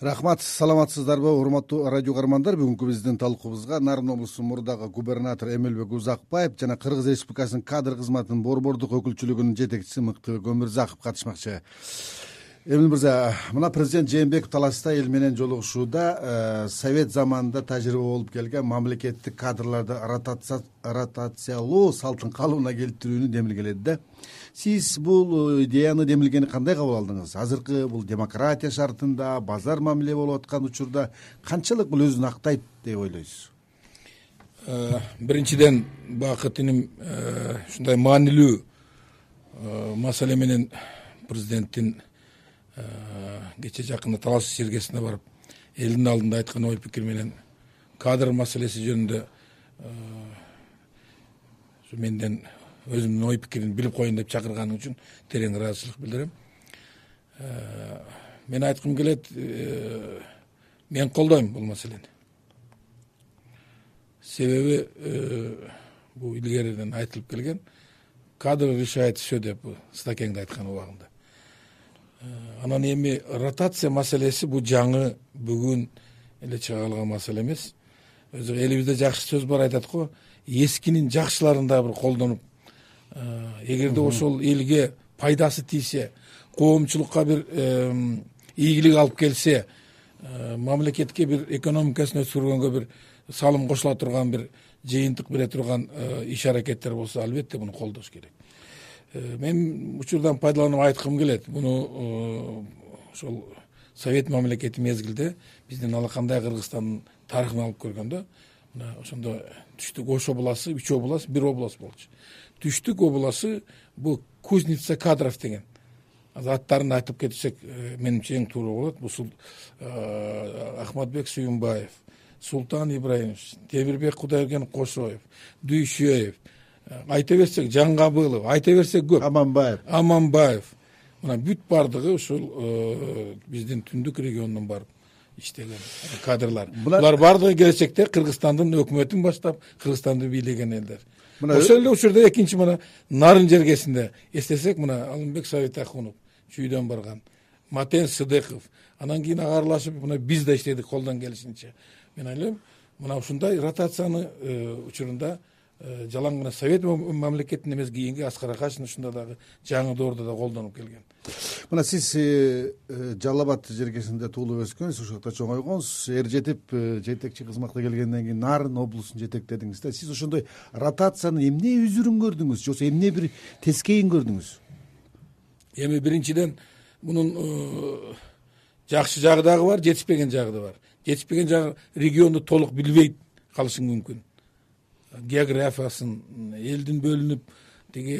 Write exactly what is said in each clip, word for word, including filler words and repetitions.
Рахмат, саламатсыздарбы урматтуу радио каармандар. Бүгүнкү биздин талкуубузга Нарын облусунун мурдагы губернатору Эмелбек Узакбаев жана Кыргыз Республикасынын кадр кызматынын борбордук өкүлчүлүгүнүн жетекчиси Мыктыбек Өмүрзаков катышмакчы. Эмил мырза, мына президент Жээнбеков таласта эл менен жолугушууда совет заманында тажрыйба болуп келген мамлекеттик кадрларды ротациялоо салтын калыбына келтирүүнү демилгеледи да. Сиз бул идеяны демилгени кандай кабыл алдыңыз? Азыркы бул демократия шартында базар мамиле болуп аткан учурда канчалык бул өзүн актайт деп ойлойсуз? Биринчиден, Бакыт иним ушундай маанилүү маселе менен президенттин кече жакында Талас Сергесине барып элдин алдында айткан ой пикир менен кадр маселеси жөнүндө менден өзүмдүн ой пикирин билип коеюн деп чакырганың үчүн терең ыраазычылык билдирем. Мен айткым келет, мен колдойм бул маселени. Себеби бул илгериден айтылып келген, кадр решает все деп Стакеңде айткан убагында. Анан эми ротация маселеси бул жаңы бүгүн эле чыга калган маселе эмес. Өзү элибизде жакшы сөз бар, айтат го, эскинин жакшыларын да бир колдонуп, эгерде ошол элге пайдасы тийсе, коомчулукка бир ийгилик алып келсе, мамлекетке бир экономикасын өсүргөнгө бир салым кошула турган, бир жыйынтык бере турган иш аракеттер болсо, албетте муну колдош керек. Мен учурдан пайдаланып айткым келет, муну ошол совет мамлекети мезгилде биздин алакандай Кыргызстандын тарыхын алып көргөндө, мына ошондо түштүк Ош обласы, үч облас, бир облас болчу. Түштүк обласы бул Кузница Кадров деген. Аттарын айтып кетсек, менимче эң туура болот. Бул Ахматбек Сүйүнбаев, Султан Ибраимович, Темирбек Кудайберген Кошоев, Дүйшөев, айта берсек Жаңгабылов, айта берсек көп. Аманбаев. Аманбаев. Мына бүт бардыгы ушул биздин түндүк регионунан барып иштеген кадрлар. Булар бардыгы келечекте Кыргызстандын өкмөтүн баштап, Кыргызстанды бийлеген элдер. Ошол эле учурда экинчи мына Нарын жергесинде эстесек, мына Алымбек Сабитахунов чүйдөн барган, Матен Сыдыков, анан кийин агарлашып мына биз да иштедик колдон келишинче. Мен ойлойм, мына ушундай ротацияны учурунда жалаң гана совет мамлекетинде эмес, кийинки Аскар Акашин ушунда дагы жаңы доордо да колдонуп келген. Мына сиз Жалал Абад жергесинде туулуп өскөнсүз, ошол жакта чоңойгонсуз, эр жетип жетекчи кызматка келгенден кийин Нарын облусун жетектедиңиз да. Сиз ошондой ротациянын эмне үзүрүн көрдүңүз, же эмне бир тескейин көрдүңүз? Эми биринчиден мунун жакшы жагы дагы бар, жетишпеген жагы да бар. Жетишпеген жагы регионду толук билбейт калышы мүмкүн. Географиясын, элдин бөлүнүп, тиги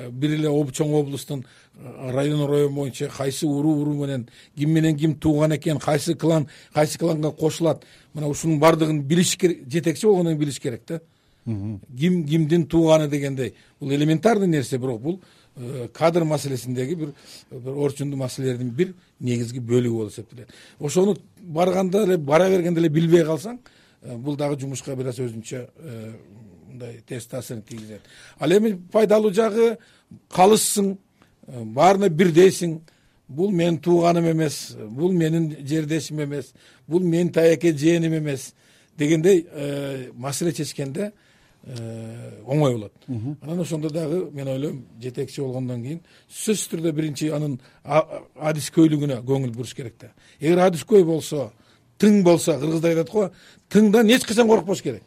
бир эле чоң облустун район район боюнча кайсы уруу уруу менен ким менен ким тууган экен, кайсы клан кайсы кланга кошулат, мына ушунун бардыгын билиш керек, жетекчи болгондон кийин билиш керек да. Ким кимдин тууганы дегендей, бул элементарный нерсе, бирок бул кадр маселесиндеги бир орчундуу маселелердин бир негизги бөлүгү болуп эсептелет. Ошону барганда эле, бара бергенде эле билбей калсаң, бул дагы жумушка бир аз өзүнчө мындай терс таасирин тийгизет. Ал эми пайдалуу жагы, калышсың, баарына бирдейсиң. Бул менин тууганым эмес, бул менин жердешим эмес, бул менин таяке жээним эмес дегендей маселе чечкенде оңой болот. Анан ошондо дагы мен ойлойм, жетекчи болгондон кийин сөзсүз түрдө биринчи анын адискөйлүгүнө көңүл буруш керек да. Эгер адискөй болсо, тың болсо, кыргыздар айтат го, тыңдан эч качан коркпош керек.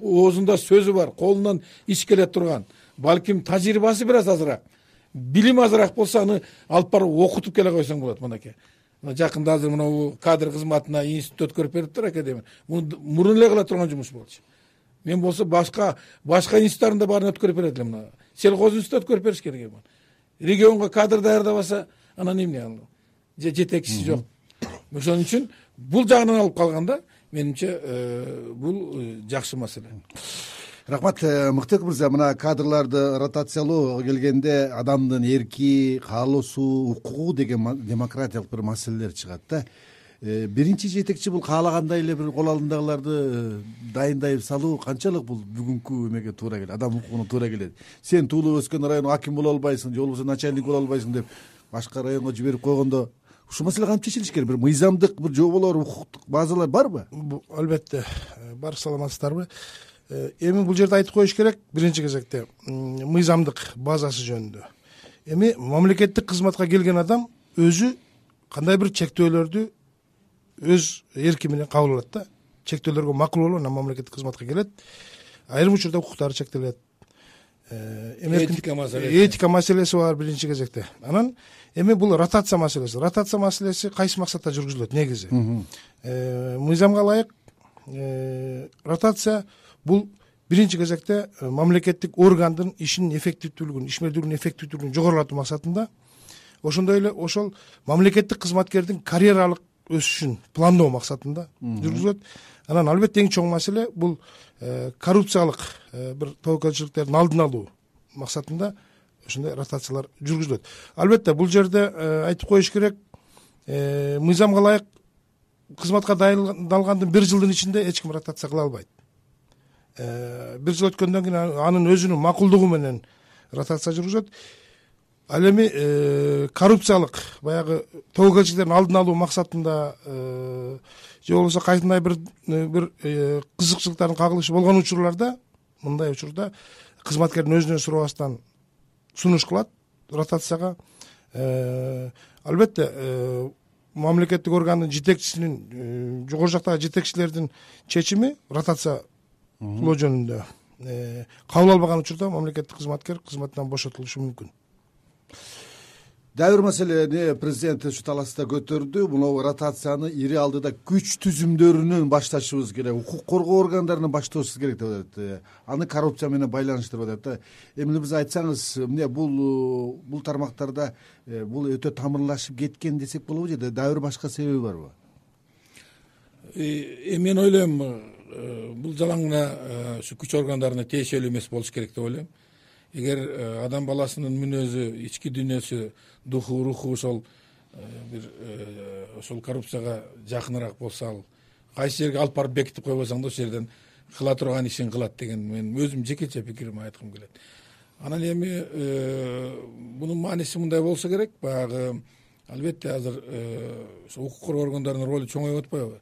Оозунда сөзү бар, колунан иш келе турган, балким тажрыйбасы бир аз азыраак, билим азыраак болсо, аны алып барып окутуп келе койсоң болот. Мынакей жакында азыр мына кадр кызматына институт өткөрүп бериптир, академия. Муну мурун эле кыла турган жумуш болчу. Мен болсо башка башка институттарында баарын өткөрүп берет элем. Мына сельхоз институт өткөрүп бериш керек. Регионго кадр даярдабаса, анан эмне ал? Жетекчиси жок. Ошон үчүн бул жагынан алып калганда, менимче бул жакшы маселе. Рахмат, Мыктыбек мырза, мына кадрларды ротациялоо келгенде адамдын эрки, каалоосу, укугу деген демократиялык бир маселелер чыгат да. Биринчи жетекчи бул каалагандай эле бир кол алдындагыларды дайындай салуу канчалык бул бүгүнкү эмеге туура келет, адам укугуна туура келет. Сен туулуп өскөн район аким боло албайсың, же болбосо начальник боло албайсың деп башка районго жиберип койгондо ушул маселе кантип чечилиш керек? Бир мыйзамдык бир жоболор, укуктук базалар барбы? Албетте бар. Саламатсыздарбы? Эми бул жерде айтып коюш керек, биринчи кезекте мыйзамдык базасы жөнүндө. Эми мамлекеттик кызматка келген адам өзү кандай бир чектөөлөрдү өз эрки менен кабыл алат да. Чектөөлөргө макул болуп, анан мамлекеттик кызматка келет. Айрым учурда укуктары чектелет. Этика маселеси. Этика маселеси бар биринчи кезекте. Анан эми бул ротация маселеси. Ротация маселеси кайсы максатта жүргүзүлөт негизи? Мыйзамга ылайык ротация бул биринчи кезекте мамлекеттик органдын ишинин эффективдүүлүгүн, ишмердүүлүгүнүн эффективдүүлүгүн жогорулатуу максатында, ошондой эле ошол мамлекеттик кызматкердин карьералык өсүшүн пландоо максатында жүргүзүлөт. Анан албетте эң чоң маселе бул коррупциялык бир тобокелчиликтердин алдын алуу максатында ошондой ротациялар жүргүзүлөт. Албетте бул жерде айтып коюш керек, мыйзамга ылайык кызматка дайындалгандын бир жылдын ичинде эч ким ротация кыла албайт. Бир жыл өткөндөн кийин анын өзүнүн макулдугу менен ротация жүргүзөт. Ал эми коррупциялык баягы тобокелчиликтердин алдын алуу максатында же болбосо кайсындай бир бир кызыкчылыктардын кагылышы болгон учурларда, мындай учурда кызматкердин өзүнөн сурабастан сунуш кылат ротацияга. Албетте мамлекеттик органдын жетекчисинин, жогору жактагы жетекчилердин чечими ротация кылуу жөнүндө кабыл албаган учурда мамлекеттик кызматкер кызматынан бошотулушу мүмкүн. Дагы бир маселени президент ушу таласта көтөрдү. Мына ротацияны ири алдыда күч түзүмдөрүнөн башташыбыз керек, укук коргоо органдарынан башташыбыз керек деп атат. Аны коррупция менен байланыштырып атат. Эми биз айтсаңыз, эмне бул бул тармактарда бул өтө тамырлашып кеткен десек болобу же дагы бир башка себеби барбы? Эми мен ойлойм, бул жалаң гана ушу күч органдарына тиешелүү эмес болуш керек деп ойлойм. Эгер адам баласынын мүнөзү, ички дүйнөсү, духу, руху ошол бир ошол коррупцияга жакыныраак болсо, ал кайсы жерге алып барып бекитип койбосоң да ошол жерден кыла турган ишин кылат деген мен өзүм жекече пикиримди айткым келет. Анан эми мунун мааниси мындай болсо керек, баягы албетте азыр ошо укук коргоо органдарынын ролу чоңоюп атпайбы?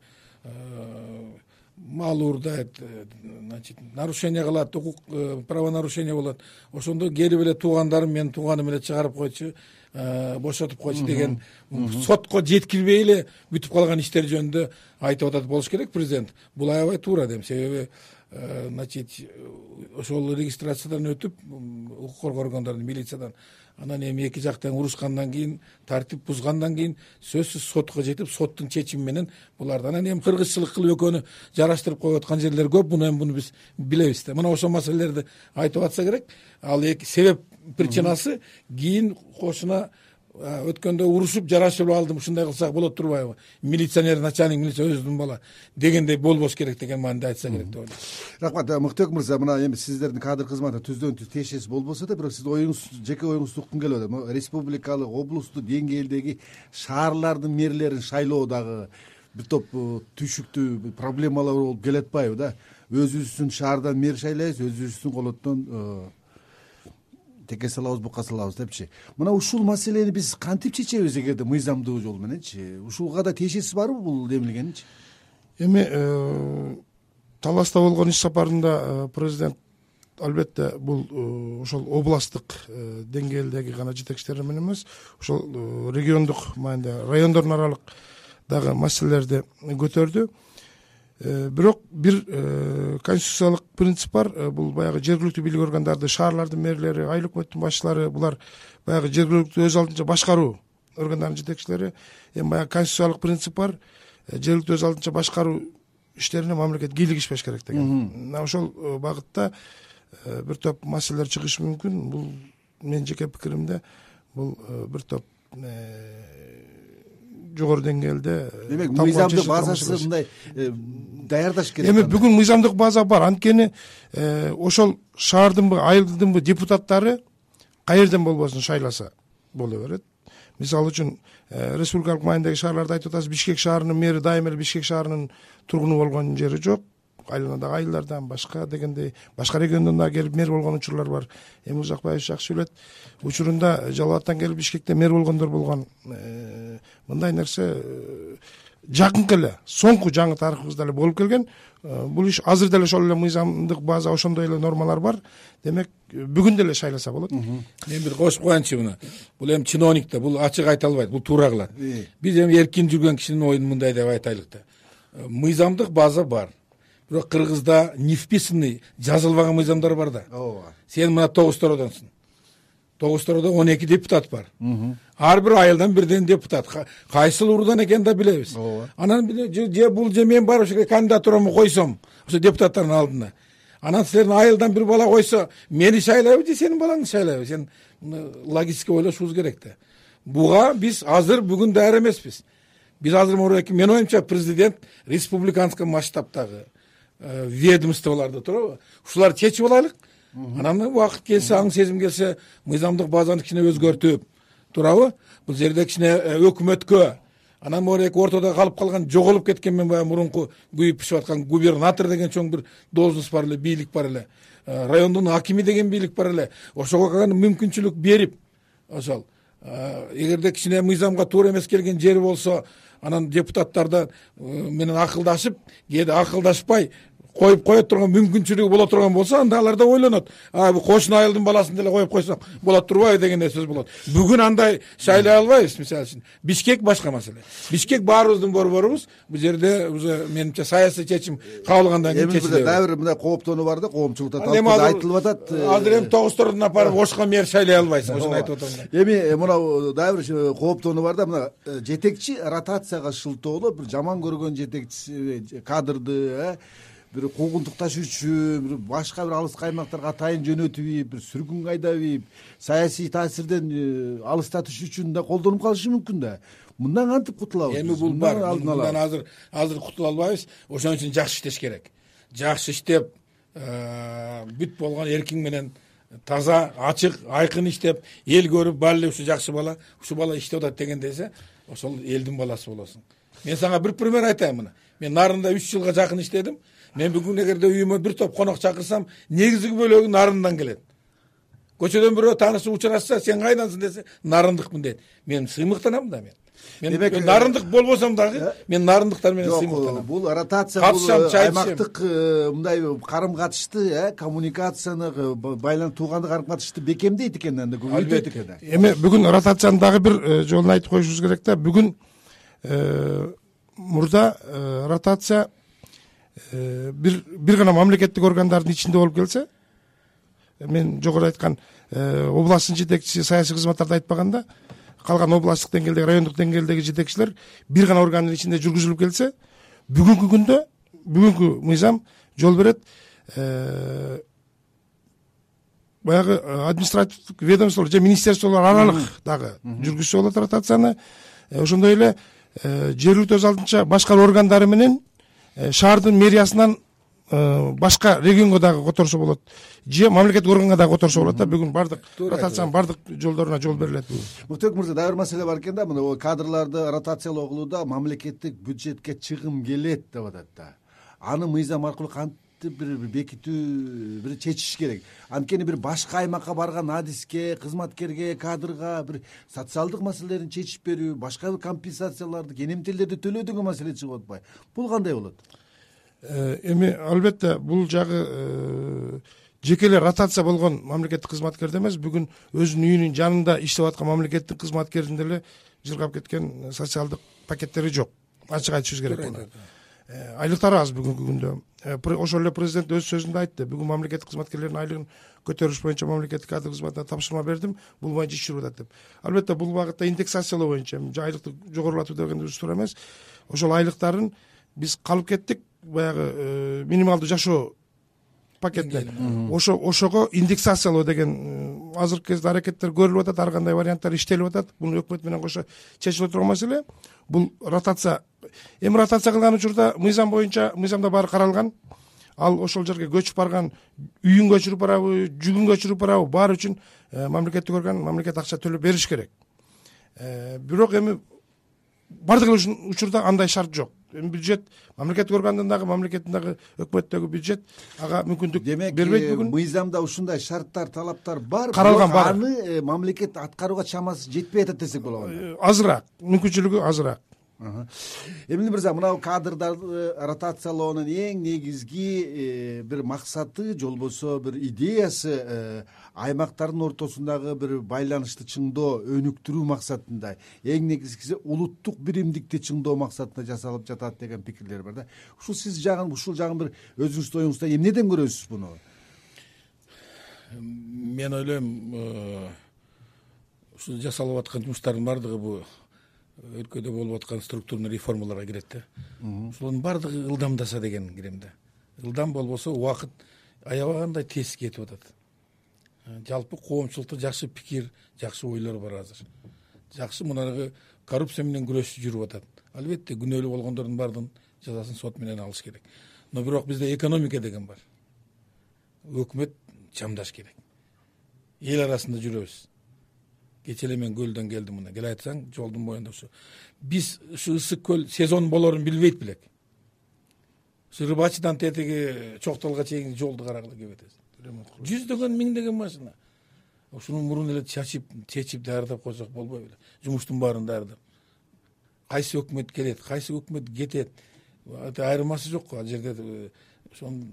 Мал уурдайт, значит, нарушение кылат, укук правонарушение болот. Ошондо келип эле туугандарым менин тууганым эле чыгарып койчу, бошотуп койчу деген сотко жеткирбей эле бүтүп калган иштер жөнүндө айтып атат болуш керек президент. Бул аябай туура дейм. Себеби значит, ошол регистрациядан өтүп, укук коргоо органдарынан, милициядан, анан эми эки жак тең урушкандан кийин, тартип бузгандан кийин сөзсүз сотко жетип, соттун чечими менен булардан анан эми кыргызчылык кылып экөөнү жараштырып коюп аткан жерлер көп. Муну эми буну биз билебиз да. Мына ошол маселелерди айтып атса керек. Ал эки себеп причинасы кийин кошуна өткөндө урушуп жарашып алдым, ушундай кылсак болот турбайбы? Милиционер, начальник милиция өзүнүн бала дегендей болбош керек деген мааниде айтса керек деп ойлойм. Рахмат, Мыктыбек мырза, мына эми сиздердин кадр кызматы түздөн түз тиешеси болбосо да, бирок сиз оюңуз, жеке оюңузду уккум келип атат. Республикалык, облустук деңгээлдеги шаарлардын мэрлерин шайлоодагы бир топ түйшүктүү проблемалар болуп келатпайбы да? Өзүбүздүн шаардан мэр шайлайбыз, өзүбүздүн колоттон теке салабыз, бука салабыз депчи. Мына ушул маселени биз кантип чечебиз эгерде мыйзамдуу жол мененчи? Ушуга да тиешеси барбы бул демилгенинчи? Эми Таласта болгон иш сапарында президент албетте бул ошол областтык деңгээлдеги гана жетекчилер менен эмес, ошол региондук маанидеги райондордун аралык дагы маселелерди көтөрдү. Бирок бир конституциялык принцип бар, бул баягы жергиликтүү бийлик органдарды, шаарлардын мэрлери, айыл өкмөттүн башчылары, булар баягы жергиликтүү өз алдынча башкаруу органдарынын жетекчилери. Эми баягы конституциялык принцип бар, жергиликтүү өз алдынча башкаруу иштерине мамлекет кийлигишпеш керек деген. Ошол багытта бир топ маселелер чыгышы мүмкүн. Бул менин жеке пикиримде бул бир топ жогору деңгээлде. Демек, мыйзамдык базасы мындай даярдаш керек. Эми бүгүн мыйзамдык база бар. Анткени ошол шаардынбы, айылдынбы депутаттары каерден болбосун шайласа боло берет. Мисалы үчүн республикалык маанидеги шаарларды айтып атабыз. Бишкек шаарынын мэри дайым эле Бишкек шаарынын тургуну болгон жери жок. айланадагы айылдардан башка дегендей башка региондон дагы келип мэр болгон учурлар бар. Эми Узакбаевич жакшы билет, учурунда Жалал Абадтан келип Бишкекте мэр болгондор болгон. Мындай нерсе жакынкы эле, соңку жаңы тарыхыбызда эле болуп келген. Бул иш азыр деле ошол эле мыйзамдык база, ошондой эле нормалар бар. Демек бүгүн деле шайласа болот. Мен бир кошуп коеюнчу муну. Бул эми чиновник да, бул ачык айта албайт, бул туура кылат. Биз эми эркин жүргөн кишинин оюн мындай деп айтайлык да. Мыйзамдык база бар. Бирок Кыргызда не вписанный, жазылбаган мыйзамдар бар да. Ооба. Сен мына тогуз тоrodonsуң. тогуз тороодо он эки депутат бар. Ар бир айылдан бирден депутат. Кайсыл уруудан экенин да билебиз. Анан же бул же мен барып ошо кандидатурамды койсом, ошо депутаттардын алдына. Анан силердин айылдан бир бала койсо, мени шайлайбы же сенин балаңды шайлайбы? Сен логически ойлошубуз керек да. Буга биз азыр бүгүн даяр эмеспиз. Биз азыр менин оюмча президент республиканский масштабтагы ведомстволорду туурабы? Ушуларды чечип алайлык. Анан убакыт келсе, аң сезим келсе, мыйзамдык базаны кичине өзгөртүп, туурабы? Бул жерде кичине өкмөткө, анан моорек ортодо калып калган, жоголуп кеткен мен баягы мурунку күйүп пишип аткан губернатор деген чоң бир должность бар эле, бийлик бар эле. Райондун акими деген бийлик бар эле. Ошого мүмкүнчүлүк берип, ошол эгерде кичине мыйзамга туура эмес келген жери болсо, анан депутаттардан менен акылдашып, кээде акылдашпай коюп кое турган мүмкүнчүлүгү боло турган болсо, анда алар да ойлонот. А бул кошуна айылдын баласын деле коюп койсок болот турбайбы дегендей сөз болот. Бүгүн андай шайлай албайбыз, мисалы үчүн. Бишкек башка маселе. Бишкек баарыбыздын борборубуз. Бул жерде менимче саясий чечим кабыл алгандан кийин чечилет. Эми дагы бир мындай кооптонуу бар да, коомчулукта айтылып атат. Азыр эми тогуз тородон апарып Ошко мэр шайлай албайсың, ошону айтып атам. Эми мына дагы бир кооптонуу бар да, мына жетекчи ротацияга шылтоолоп, бир жаман көргөн жетекчи кадрды, бир куугунтук ташуучу, бир башка бир алыс аймактарга атайын жөнөтүп, бир сүргүн айдап, саясий таасирден алыстатыш үчүн да колдонуп калышы мүмкүн да. Мындан кантип кутулабыз? Эми бул бар. Мындан азыр азыр кутула албайбыз. Ошон үчүн жакшы иштеш керек. Жакшы иштеп, бүт болгон эркиң менен таза, ачык, айкын иштеп, эл көрүп, баары ушу жакшы бала, ушу бала иштеп атат деген десе, ошол элдин баласы болосуң. Мен сага бир пример айтайын мына. Мен Нарында үч жылга жакын иштедим. Мен бүгүн эгерде үйүмө бир топ конок чакырсам, негизги бөлөгү Нарындан келет. Көчөдөн бирөө таанышып учурашса, сен кайдансың десе, Нарындыкмын дейт. Мен сыймыктанам да мен. Мен Нарындык болбосом дагы, мен Нарындыктар менен сыймыктанам. Бул ротация, бул аймактык мындай карым катышты, коммуникацияны, байланып туугандык карым катышты бекемдейт экен, анда көбөйтөт экен. Эми бүгүн ротацияны дагы бир жолун айтып коюшубуз керек да. Бүгүн мурда ротация бир бир гана мамлекеттик органдардын ичинде болуп келсе, мен жогору айткан областтын жетекчиси саясий кызматтарды айтпаганда, калган областтык деңгээлдеги, райондук деңгээлдеги жетекчилер бир гана органдын ичинде жүргүзүлүп келсе, бүгүнкү күндө бүгүнкү мыйзам жол берет баягы административдик ведомстволор же министерстволор аралык дагы жүргүзсө болот ротацияны. Ошондой эле жергиликтүү өз алдынча башкаруу органдары менен шаардын мэриясынан башка регионго дагы которсо болот, же мамлекеттик органга дагы которсо болот да. Бүгүн бардык ротациянын бардык жолдоруна жол берилет. Муктар мырза, дагы бир маселе бар экен да, мына кадрларды ротациялоогулуда мамлекеттик бюджетке чыгым келет деп атат да. Аны мыйзам аркылуу кантип бир бекитүү, бир чечиш керек. Анткени бир башка аймакка барган адиске, кызматкерге, кадрга бир социалдык маселелерин чечип берүү, башка бир компенсацияларды, кенемтелерди төлөө деген маселе чыгып атпайбы? Бул кандай болот? Эми албетте бул жагы жеке эле ротация болгон мамлекеттик кызматкерде эмес, бүгүн өзүнүн үйүнүн жанында иштеп аткан мамлекеттик кызматкердин деле жыргап кеткен социалдык пакеттери жок. Ачык айтышыбыз керек буну. Айлыктары аз бүгүнкү күндө. Ошол эле президент өз сөзүндө айтты. Бүгүн мамлекеттик кызматкерлердин айлыгын көтөрүш боюнча мамлекеттик кадр кызматына тапшырма бердим. Бул боюнча иш жүрүп атат деп. Албетте бул багытта индексациялоо боюнча айлыкты жогорулатуу деген дурус туура эмес. Ошол айлыктарын биз калып кеттик баягы минималдуу жашоо пакеттен. Ошо ошого индексациялоо деген азыркы кезде аракеттер көрүлүп атат, ар кандай варианттар иштелип атат. Бул өкмөт менен кошо чечиле турган маселе. Бул ротация. Эми ротация кылган учурда мыйзам боюнча, мыйзамда баары каралган. Ал ошол жерге көчүп барган, үйүн көчүрүп барабы, жүгүн көчүрүп барабы, баары үчүн мамлекеттик орган мамлекет акча төлөп бериш керек. Бирок эми бардык учурда андай шарт жок. бюджет мамлекеттик органдын дагы мамлекеттин дагы өкмөттөгү бюджет ага мүмкүндүк демек бербейт бүгүн. мыйзамда ушундай шарттар, талаптар бар, каралган бар. Аны мамлекет аткарууга чамасы жетпей атат десек болобу? Азыраак, мүмкүнчүлүгү азыраак. Эмиль мырза, мынау кадрдарды ротациялоонун эң негизги бир максаты же болбосо бир идеясы аймактардын ортосундагы бир байланышты чыңдоо, өнүктүрүү максатында, эң негизгиси улуттук биримдикти чыңдоо максатында жасалып жатат деген пикирлер бар да. Ушул сиз жагын, ушул жагын бир өзүңүздүн оюңузда эмнеден көрөсүз буну? Мен ойлойм, ушул жасалып аткан жумуштардын баардыгы бул өлкөдө болуп аткан структурный реформаларга кирет да. Ушулардын баардыгы ылдамдаса деген кирем да. Ылдам болбосо убакыт аябагандай тез кетип атат. Жалпы коомчулукта жакшы пикир, жакшы ойлор бар азыр. Жакшы мынагы коррупция менен күрөш жүрүп атат. Албетте күнөөлүү болгондордун баардыгын жазасын сот менен алыш керек. Но бирок бизде экономика деген бар. Өкмөт чамдаш керек. Эл арасында жүрөбүз. Кечээ эле мен көлдөн келдим мына. Келе айтсаң, жолдун боюнда ушу. Биз ушу ысык көл сезон болорун билбейт белек. Ушу Рыбачыдан тетиги Чоктолго чейинки жолду карагыла келип атабыз. Жүздөгөн, миңдеген машина. Ушуну мурун эле чачып, чечип даярдап койсок болбой беле. Жумуштун баарын даярдап. Кайсы өкмөт келет, кайсы өкмөт кетет. Айырмасы жок. Ал жерде ошон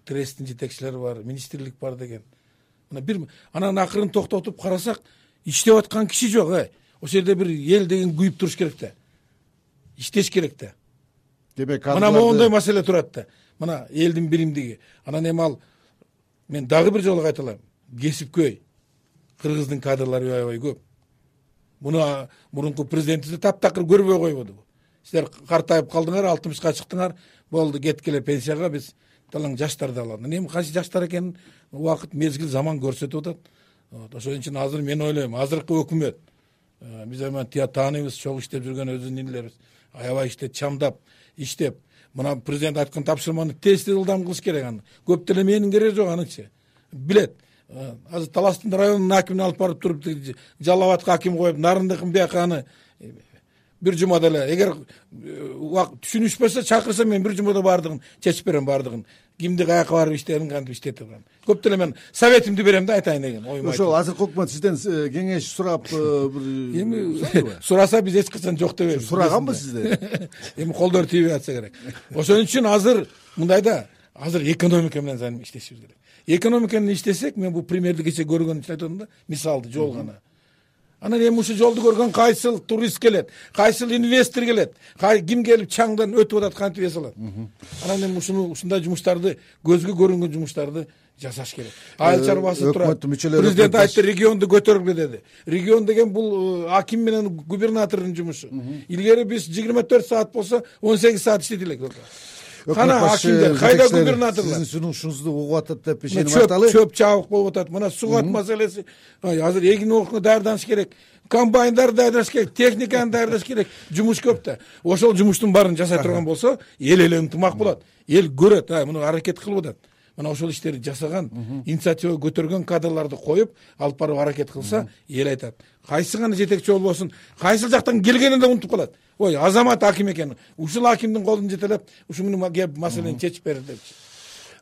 тресттин жетекчилери бар, министрлик бар деген. Мына бир анан акырын токтотуп карасак, иштеп аткан киши жок, э. Ошол жерде бир эл деген күйүп туруш керек да. Иштеш керек да. Демек, мына моундай маселе турат да. Мына элдин биримдиги. Анан эми ал мен дагы бир жолу кайталайм. Кесипкөй. Кыргыздын кадрлары аябай көп. Муну мурунку президентибиз таптакыр көрбөй койбоду. Силер картайып калдыңар, алтымышка чыктыңар, болду, кеткиле пенсияга, биз талаң жаштарды алалы. Эми кайсы жаштар экенин убакыт, мезгил, заман көрсөтүп атат. Ошон үчүн азыр мен ойлойм, азыркы өкмөт биз эми тааныйбыз, чогуу иштеп жүргөн өзүнүн инилерибиз. Аябай иштеп, чамдап, иштеп. Мына президент айткан тапшырманы тез ылдам кылыш керек аны. Көп деле менин кереги жок анычы. Билет. Азыр Таластын районунун акимин алып барып туруп, Жалал Абадка аким коюп, Нарындыкын бияка аны бир жумада эле, эгер түшүнүшпөсө чакырса мен бир жумада баардыгын чечип берем, баардыгын. Кимди каяка барып иштерин кантип иштетип турган. Көп деле мен советимди берем да, айтайын деген оюм. Ошол азыркы өкмөт сизден кеңеш сурап бир эми сураса биз эч качан жок дебейбиз. Сураганбы сизден? Эми колдор тийбей атса керек. Ошон үчүн азыр мындай да, азыр экономика менен иштешибиз керек. Экономика менен иштесек, мен бул примерди кече көргөн үчүн айтып атам да, мисалды жол гана. Анан эми ушул жолду көргөн кайсыл турист келет, кайсыл инвестор келет, ким келип чаңдан өтүп атат, кантип эсалат. Анан эми ушуну ушундай жумуштарды, көзгө көрүнгөн жумуштарды жасаш керек. Айыл чарбасы турат. Президент айтты, регионду көтөргүлө деди. Регион деген бул аким менен губернатордун жумушу. Илгери биз жыйырма төрт саат болсо он сегиз саат иштедилек. Кана акимдер, кайда губернаторлар? Сиздин сунушуңузду угуп атат деп ишенип аталы. Чөп чабык болуп атат. Мына сугат маселеси. Азыр эгин окуна даярданыш керек. Комбайндар даярдаш керек, техниканы даярдаш керек. Жумуш көп да. Ошол жумуштун баарын жасай турган болсо, эл эле ынтымак болот. Эл көрөт, а муну аракет кылып атат. Мына ошол иштерди жасаган, инициатива көтөргөн кадрларды коюп, алып барып аракет кылса, эл айтат. Кайсы гана жетекчи болбосун, кайсыл жактан келгенин да унутуп калат. Ой, азамат аким экен. Ушул акимдин колун жетелеп, ушуну маселени чечип берди депчи.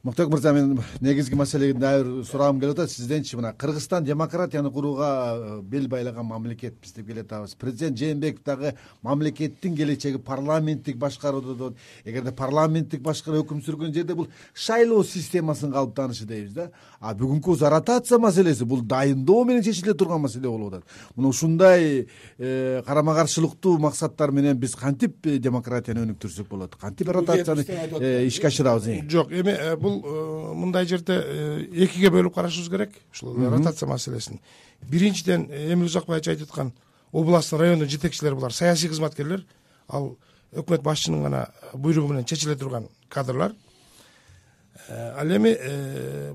Муктак мырза, мен негизги маселеге дайыр сурагым келип атат. Сизденчи мына Кыргызстан демократияны курууга бел байлаган мамлекетпиз деп келе атабыз. Президент Жээнбеков дагы мамлекеттин келечеги парламенттик башкаруудо дейт. Эгерде парламенттик башкаруу өкүм сүргөн жерде бул шайлоо системасынын калыптанышы дейбиз да. А бүгүнкү ротация маселеси бул дайындоо менен чечиле турган маселе болуп атат. Мына ушундай карама каршылыктуу максаттар менен биз кантип демократияны өнүктүрсөк болот? Кантип ротацияны ишке ашырабыз? Жок, эми бул мындай жерде экиге бөлүп карашыбыз керек ушул ротация маселесин. Биринчиден, Эмиль Узакбаевич айтып аткан областтын райондун жетекчилери булар саясий кызматкерлер, ал өкмөт башчынын гана буйругу менен чечиле турган кадрлар. Ал эми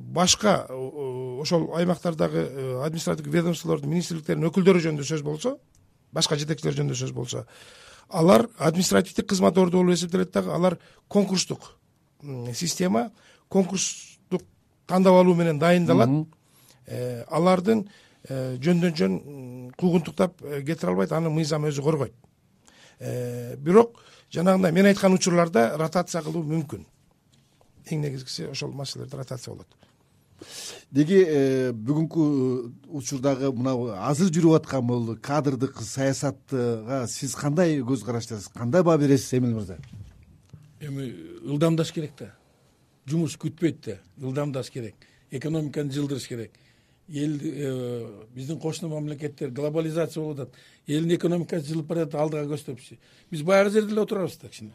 башка ошол аймактардагы административдик ведомстволордун, министрликтердин өкүлдөрү жөнүндө сөз болсо, башка жетекчилер жөнүндө сөз болсо, алар административдик кызмат орду болуп эсептелет дагы, алар конкурстук система, конкурстук тандап алуу менен дайындалат. Алардын жөндөн жөн куугунтуктап кетире албайт, аны мыйзам өзү коргойт. Бирок жанагындай мен айткан учурларда ротация кылуу мүмкүн. Эң негизгиси ошол маселелерде ротация болот. Деги бүгүнкү учурдагы мына азыр жүрүп аткан бул кадрдык саясатга сиз кандай көз караштасыз, кандай баа бересиз Эмил мырза? Эми ылдамдаш керек да. Жумуш күтпөйт да, ылдамдаш керек. Экономиканы жылдырыш керек. Эл биздин кошуна мамлекеттер глобализация болуп атат. Элдин экономикасы жылып баратат, алдыга көздөпчү. Биз баягы жерде эле отурабыз да кичине.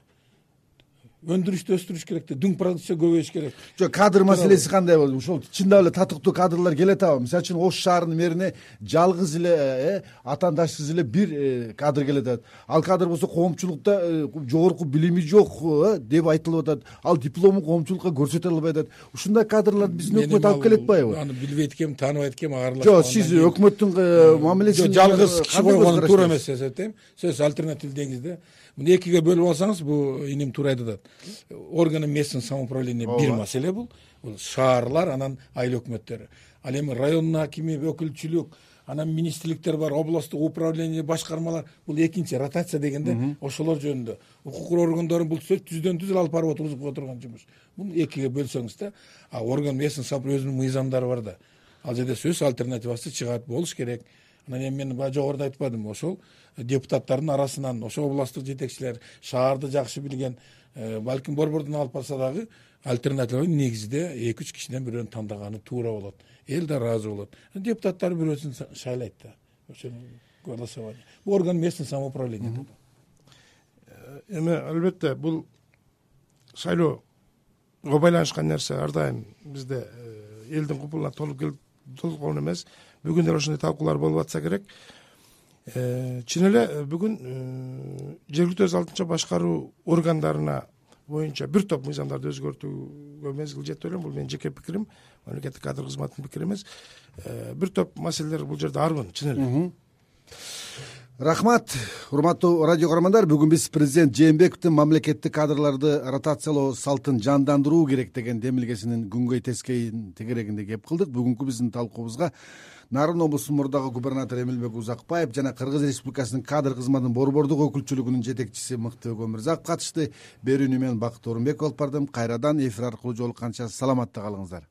Өндүрүштү өстүрүш керек да, дүң продукция көбөйүш керек. Жок, кадр маселеси кандай болду? Ошол чындап эле татыктуу кадрлар келет атабы? Мисалы үчүн Ош шаарынын мэрине жалгыз эле атаандашсыз эле бир кадр келет атат. Ал кадр болсо коомчулукта жогорку билими жок деп айтылып атат. Ал диплому коомчулукка көрсөтө албай атат. Ушундай кадрларды биздин өкмөт алып келет атпайбы? Аны билбейт экем, тааныбайт экем, ааралашпаган. Жок, сиз өкмөттүн мамилесин жалгыз киши койгону туура эмес деп атайм. Сөз альтернатив деңиз да. Муну экиге бөлүп алсаңыз, бул иним туура айтып атат. Органы местного самоуправления бир маселе бул. Бул шаарлар, анан айыл өкмөттөрү. Ал эми райондун акими, өкүлчүлүк, анан министрликтер бар, областтык управление, башкармалар. Бул экинчи ротация дегенде ошолор жөнүндө. Укук коргондордун бул сөз түздөн түз алып барып отурган жумуш. Муну экиге бөлсөңүз да, а орган местный самоуправление өзүнүн мыйзамдары бар да. Ал жерде сөз альтернативасы чыгат, болуш керек. Анан эми мен баягы жогоруда айтпадым, ошол депутаттардын арасынан ошол областтык жетекчилер, шаарды жакшы билген, балким борбордон алып барса дагы альтернатива негизде эки үч кишиден бирөөнү тандаганы туура болот. Эл да ыраазы болот. Депутаттар бирөөсүн шайлайт да. Ошол голосование. Бул орган местный самоуправление. Эми албетте бул шайлоого байланышкан нерсе ар дайым бизде элдин купулуна толук толкон эмес. Бүгүн деле ошондой талкуулар болуп атса керек. Чын эле бүгүн жергиликтүү өз алдынча башкаруу органдарына боюнча бир топ мыйзамдарды өзгөртүүгө мезгил жетти элем. Бул менин жеке пикирим, мамлекеттик кадр кызматынын пикири эмес. Бир топ маселелер бул жерде арбын, чын эле. Рахмат, урматтуу радио каармандар. Бүгүн биз президент Жээнбековдун мамлекеттик кадрларды ротациялоо салтын жандандыруу керек деген демилгесинин күнгөй тескейин тегерегинде кеп кылдык. Бүгүнкү биздин талкуубузга Нарын облусунун мурдагы губернатору Эмилбек Узакбаев жана Кыргыз Республикасынын кадр кызматынын борбордук өкүлчүлүгүнүн жетекчиси Мыктыбек Өмүрзаков катышты. Берүүнү мен Бакыт Орунбеков алып бардым. Кайрадан эфир аркылуу жолукканча саламатта калыңыздар.